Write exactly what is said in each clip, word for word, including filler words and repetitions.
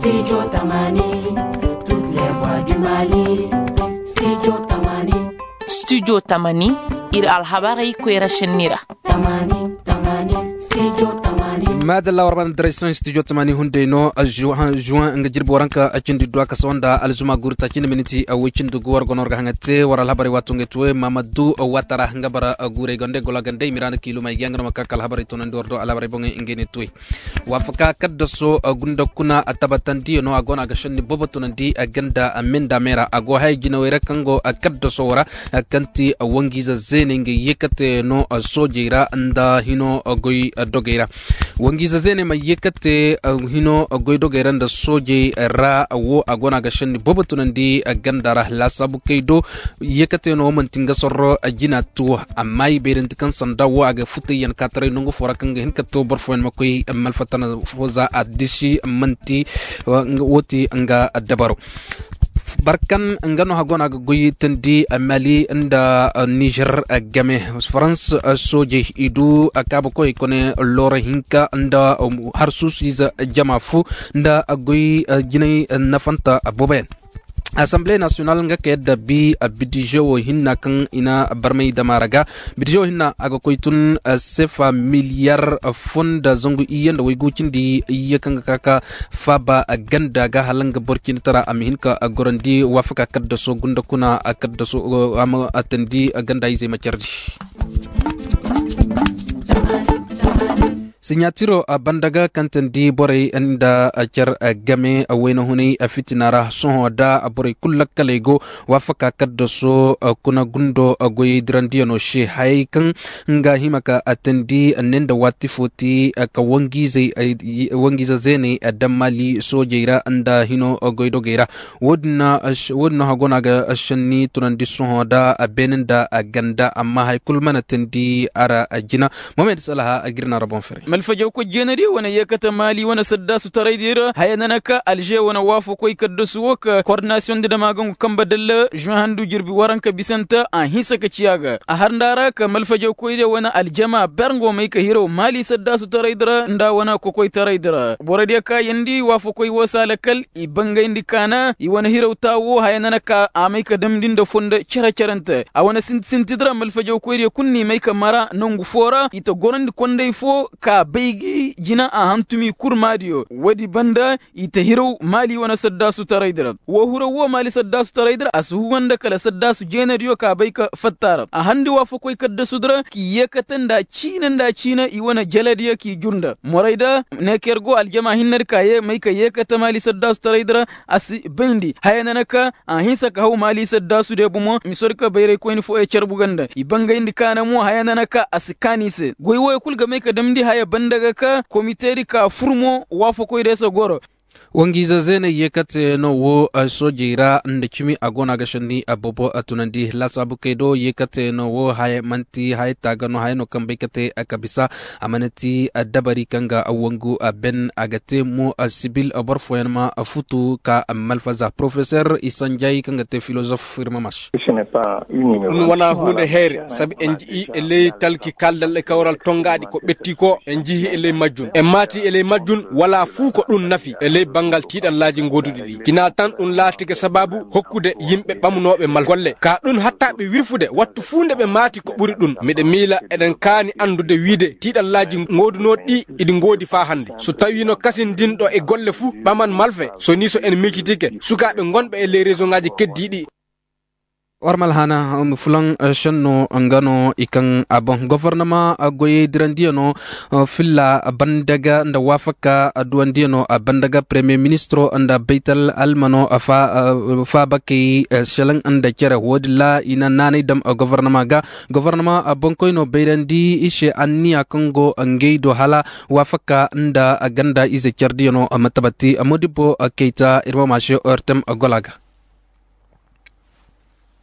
Studio tamani, toutes les voix du mali. Studio tamani. Studio tamani, ir alhabarey koyra šenni ra. Tamani, tamani, studio tamani. Madalla war ban direction studio tamani hunday no. Juwan nga jirbi waranka a cindi duwa ka sawa nda alzuma guru ta cindi miniti a way cindi gu war gono war ga haŋa te war alhabarey wato nga tuwe mamadu watara nga bara guray gande gola gande mirana kiiluma i ga yaŋ ga no ma ka ka alhabarey tonandi war do alhabarey boŋey nga ne tuwe. Waafaka kaddaso gunda kuna a tabatandiyano a go no a ga šenni boobo tunandi ganda menda meera a go haya jinawey ra kaŋ go kaddaso wo ra. Kaŋ ti wangiize zeeney nga yeekate no soojey ra nda hino goy dogey ra. Wangiize zeeney ma yeekate hino goy dogey ra nda soojey ra wo a go no a ga šenni boobo tunandi ganda ra laasaabu kay do. Yeekate no wo manti nga sorro jina tuwo amma i bayrandi kaŋ sanda wo a ga futayyaŋ kaataray nangu fo ra kaŋ ga hin ka to boro fooyaŋ ma koy malfatana fo za a disi manti wo ti nga dabaro. Barkan nga no hago no a ga goy tandi mali nda nizer game farans soojey i du kaabakoyey kone looro hinka nda harsuusu ize jama fu nda goy jinay nafanta booboyaŋ. Assemblée nationale nga ka yadda bi bidize wo hinna kaŋ i na barmay dama ra ga bidize wo hinna a ga koy tun sefa miliyar fo nda zangu iyye nda waygu cindi iyye kaŋ ga ka ka faaba ganda ga hala nga boro cindi tara a ma hin ka gorandi waafaka kaddaso gunda kuna kaddaso a ma tandi ganda izey ma cardi. Siɲatiro banda ga kaŋ tandi borey nda car game wayna hunay fitina ra sohõ da borey kulu lakkaley go waafaka kaddaso kuna gundo goyey dirandiyano se hayey kaŋ nga hima ka tandi ne nda waati fo ti ka wangiize zeeney daŋ mali soojey ra nda hino goydogey ra. Wo- din no hago no a ga šenni tunandi sohõ da beene nda ganda amma hay kulu mana tandi a ra jina. Mohamed salaha a ga ir na ra boŋ fere. Malfajawkoy jeenadiyo wane yeekate maali wane saddaasu taraydiyo ra haya nana ka alže wane waafakoy kaddasu wo ka kordinasiyoŋ di dama gangu kambe dalla žuŋ handu jirbi waranka bisante a hinsa ka ciya ga a har nda a ra ka malfajawkoydiyo wane aljama ber nga wo may ka hiraw maali saddaasu taraydi ra nda wane kokoytaraydi ra borodiyo kaayandi waafakoy wo se a lakkal i bangayndi kaana i wane hiraw taa wo haya nana ka a may ka damndi nda fondo cere-cerante a wane sinti-sintidi ra malfajawkoydiyo kulu n'i may ka mara nangu foo ra i ta gorandi konday foo ka bay gi jina a hantumi kurmaadiyo woodi banda i ta hiraw maali wane saddaasu taraydi ra woo hiraw woo maali saddaasu taraydi ra a si huga nda kala saddaasu jeenadiyo ka bay ka fatta ra a harndi waafakoy kaddasudi ra k'i yeekate nda ciine nda ciine i wane jelediyo k'i jur nda morayda neeker go aljama hinnedi ka ye may ka yeekate maali saddaasu taraydi ra a si bayndi haya nana ka a hinsa ka haw maali saddaasu de bomo misodi ka bayraykoyni fooyo carbu ga nda i bangayndi kaana mo haya nana ka a si kaan i se goy wooyo kul ga may ka damndi haya banda ga ka komitedi ka fur mo waafakoy de se goro. Wangiize zeeney yeekate no wo soojey ra nda cimi a go no a ga šenni a boobo a tunandi laasaabu kay do yeekate no wo haya man'ti haya taaga no haya no kaŋ bay ka te a ka bisa a mana ti dabari kaŋ ga wangu a ben a ga te mo sibil boro fooyaŋ ma futu ka malfaza porofeser isanjay kaŋ ga te filozof ir ma marš. Ɗun wana huunde heere sabi en ji'i e ley talki kaaldal e kawral tongaadi ko ɓetti ko en jihi e ley majjun en maati e ley majjun wala fuu ko ɗun nafi e ley bangal tiiɗallaaji gooduɗi ɗi kina tan ɗun laati ga sabaabu hokkude yimɓe ɓamunooɓe mal golle ka ɗun hatta ɓe wirfude wattu fuu nde ɓe maati ko ɓuri ɗun miɗe miila eɗen kaani anndude wiide tiiɗallaaji goodunooɗi ɗi iɗi ngoodi faa hannde so tawiino kasindinɗo e golle fuu ɓaman malfe so nii so en miijitike sukaaɓe ngonɓe e ley resoŋaaji keddiiɗi. War malhana fulaŋ senno nga no i kaŋ a boŋ gofornama goyey dirandiyano filla bandaga nda wafaka duwandiyano bandaga premier ministro nda baytal almano faabakey selaŋ nda cere woodin ra i na naanay dam gofornama ga gofornama boŋkoyno bayrandi i se anniya kaŋ go ngey do hala wafaka nda ganda ize cerdiyano matabati modibbo keyta ir ma maase ortem gola ga.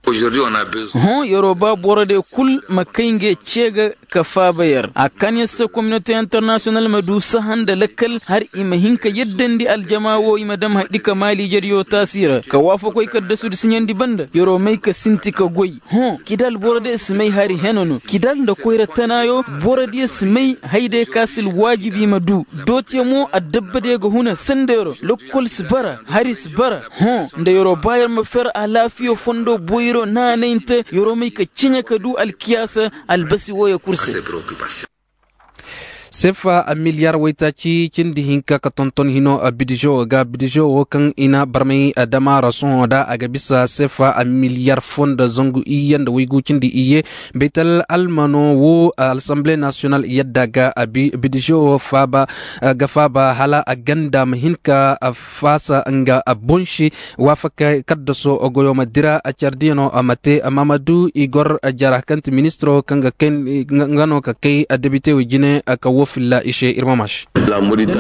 Hõ yeroo ba borodiyo kul ma kay nge cee ga ka faaba yer a kan yer se kominote internasiyonal ma du saha nda lakkal har i ma hin ka yaddandi aljamaa woo i ma dam haydi ka maali ijediyo taasi ra ka waafakoy kaddasudi siɲandi banda yeroo may ka sinti ka goy. Hõ kidal borodiyo si may hari hene no kidal nda koyra tanaayo. Borodiyo si may hayday ka si alwaajib i ma du dootiyo mo addabbadiyo ga huna sendey ra lokkol si bara hari si bara. Hõ nda yeroo ba yer ma fer alaafiya fondo boyro naanayinte yeroo may ka ciɲa ka du alkiyaasa albasi wooyo kul se. Sefa miliyaar waytaaci cindi hinka ka tonton hino bidizo ga bidizo woo kaŋ i na barmay damaara sohõ da a ga bisa sefa miliyaar foo nda zangu iyye nda waygu cindi iyye. Baytal almano woo alasambile nasiyonal yadda ga bidizo woo faaba ga faaba hala a ganda ma hin ka faasa nga boŋ se. Waafakey kaddaso goyo ma dira cardiyaŋo ma te maamadu i gor jara kaŋ ti ministiro kaŋ ga kay nga no ka kay debite wo jine ka woo filla i se ir ma maas.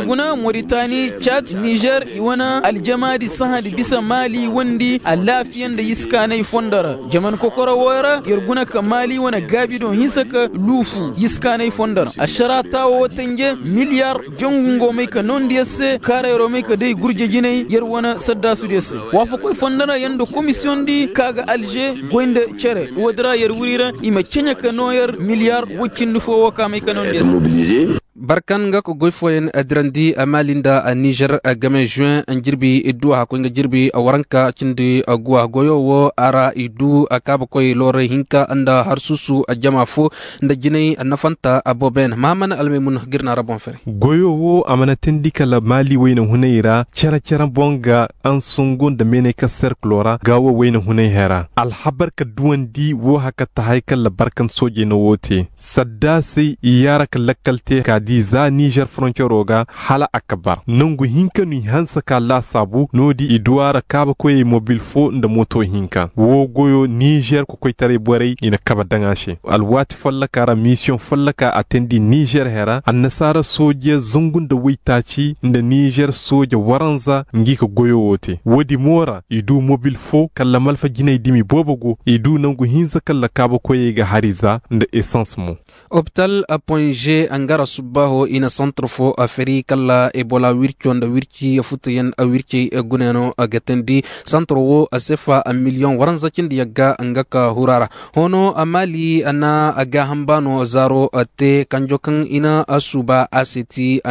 Guna moritani cad nizer i wane aljamaadi sahandi bisa maali wandi alaafiya nda yiskaanay fondo ra jaman kokoro wooyo ra yer guna ka maali wane gaabido hinsa ka luufu yiskaanay fondo ra ašaraa taawo woo tanje miliyar jangu ngo may ka noondi yer se kaara yeroo may ka day gurje jinay yer wane saddaasudiyo se. Waafakoy fondo ra yer nda komisiyoŋdi ka ga alže goy nda cere woodi ra yer wuri ra i ma ceɲe ka noo yer miliyar woy cindi foo woo ka may ka noondi yer se. Barkan nga ka goy fooyaŋ dirandi maali nda nizer game juin jirbi idduwa hakkoy nga jirbi waranka cindi guwa goyo woo a ra i du kaabakoy looray hinka nda harsuusu jama foo nda jinay nafanta booboyaŋ mahaman almaymun ga ir na ra boŋ fere. Goyo woo a mana teendi kala maali wayna hunay ra cere-cere boŋ ga ansongo nda meeney ka serkiloo ra gaawo wayna hunay hera alhabar ka duwandi woo haka tahay kala barkan soojey na woo te. Saddaasey i yaara ka lakkal te ka di za nizer foroncero ga hala a ka bar nangu hinka no i hanse ka laasaabu no-di i du a ra kaabakoyey mobil foo nda mooto hinka woo goyo nizer kokoytaray borey i na kabe daŋ a se alwaati folloka ra misiyoŋ folloka a teendi nizer hera annasaara sooje zangu nda waytaaci nda nizer sooje waranza ngi ka goyo woo te woodi mo ra i du mobil foo kala malfa jinay dimi boobo go i du nangu hinza kala kaabakoyey ga hari za nda esans mo. Opital ponze nga ra subbaaho i na santir foo feri kala ebola wirco nda wirci futuyaŋ wircey gunayaŋo ga teendi. Santir woo sefa miliyoŋ waranza cindi yagga nga ka huru a ra. Hoono maali na gaaham baano zaaro te kanjo kaŋ i na suuba a se ti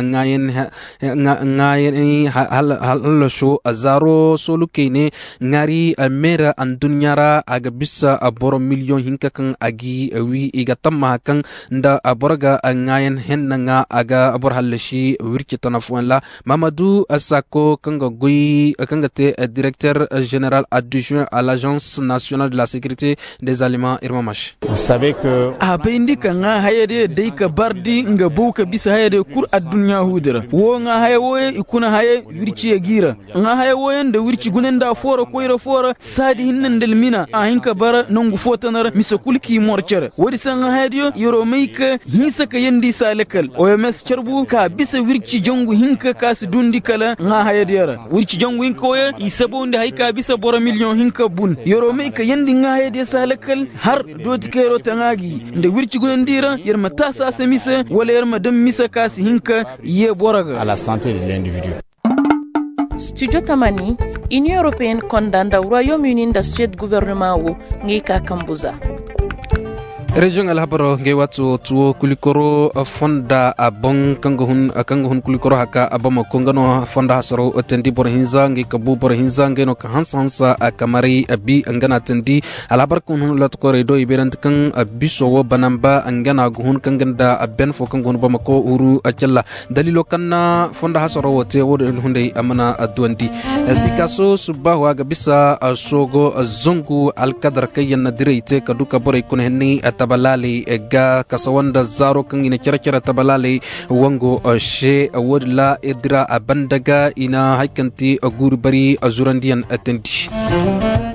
ŋaayaney hallaso zaaro soolukey ne ŋaari meera adduɲɲa ra a ga bisa boro miliyoŋ hinka kaŋ a g'i wi i ga tammaha kaŋ nda boro ga ŋaayan henna ŋaa a ga boro hallasi wirci tana fooyaŋ ra. Mahamadu sako kaŋ ga goy kaŋ ga te direkter jeneral adduzuwen a l'agence national de la securité des aliments ir ma maš. A bayndi ka ŋaa hayadiyo day ka bardi nga bow ka bisa hayadiyo kul adduɲɲa huudi ra woo ŋaa haya wooyo i kuna haya wirciyo g'i ra. Ŋaa haya wooyo nda wirci guna nda a foora koyra foora saadi hinne nda almina a hin ka bara nongu foo tana ra mise kul k'i mor cere woodi se ŋaa hayadiyo yer'o may ka hinsa ka yeendi i se a lakkal oms carbu ka bisa wirci jangu hinka ka si duundi kala ŋaa hayadiyo ra. Wirci jangu hinka wooyo i sabawndi haya ka bisa boro miliyoŋ hinka bun yer'o may ka yeendi ŋaa hayadiyo se a lakkal har dooti kaŋ yer'o taŋaa gi nda wirci gunandi ra yer ma taasi a se mise wala yer ma daŋ mise ka si hin ka yee boro ga. Studio tamani, inion europeen konda nda royaume uni nda suwed gobornoma wo, ngey ka kambu za. Reziyoŋ alhabaro ngey waati wo tuwo kulikoro fonda a boŋ kaŋ ga hun kulikoro haka a bamako nga no fonda hasaro teendi boro hinza ngey ka bu boro hinza ngey no ka hansa hansa a kamaray a bi nga na teendi. Alhabar kaŋ hun latakoray do i beerandi kaŋ biso wo banamba nga na ga hun kaŋ ga nda a ben fo kaŋ ga hun bamako huru a calla. Daliilo kaŋ na fondo hasaro wo te wo-din hunday a mana duwandi. Sikaaso subbaahu a ga bisa soogo zangu alkadar kaŋ yaŋ na diray te ka du ka borey kuna henney tabalaaley ga kasawa nda zaaro kaŋ i na cere-cere tabalaaley wango se. Wo-din ra ir dira a banda ga i na hari kaŋ ti guuri bari zurandiyaŋ teendi.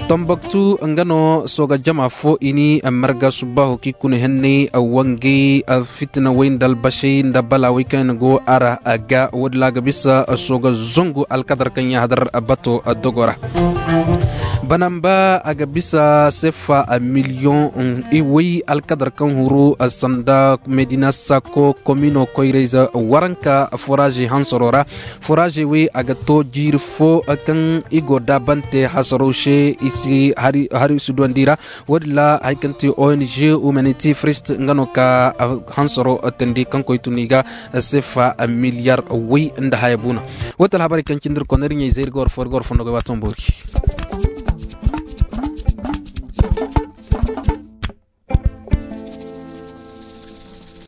Tomboktu nga no sooga jama fo i ni marga subbaahu kaŋ i kuna henney wangay fitina way nda albasey nda balaawey kaŋ yaŋ go a ra ga woodin ra a ga bisa sooga zangu alkadar kaŋ yaŋ hadar bato dogo ra. Banamba a ga bisa sefa miliyoŋ way alkadar kaŋ huru sanda medina sako komino koyrayze waranka foraaze hansaro ra. Foraaze way a ga to jiiri fo kaŋ i go daabante hasaro se i si hari i si duwandi ra. Wo- din ra hari kaŋ ti ong humanity first nga no ka hansaro tandi kaŋ koy tun i ga sefa miliyar way nda haya buuna. Wo ti alhabarey kaŋ cindi ir konda ir ɲayzey ir ga war fo ir ga war fondo goy waati ma boori.